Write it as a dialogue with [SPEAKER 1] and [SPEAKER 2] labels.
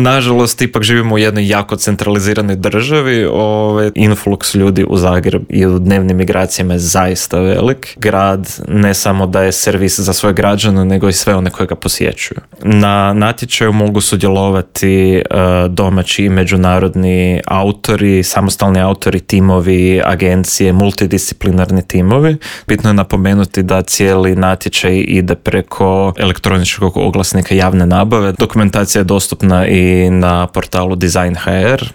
[SPEAKER 1] Nažalost, ipak živimo u jednoj jako centraliziranoj državi. Influx ljudi u Zagreb i u dnevnim migracijama je zaista velik. Grad ne samo da je servis za svoje građane, nego i sve one koje ga posjećuju. Na natječaju mogu sudjelovati domaći i međunarodni autori, samostalni autori, timovi, agencije, multidisciplinarni timovi. Bitno je napomenuti da cijeli natječaj ide preko elektroničkog oglasnika javne nabave. Dokumentacija je dostupna i na portalu Design.hr.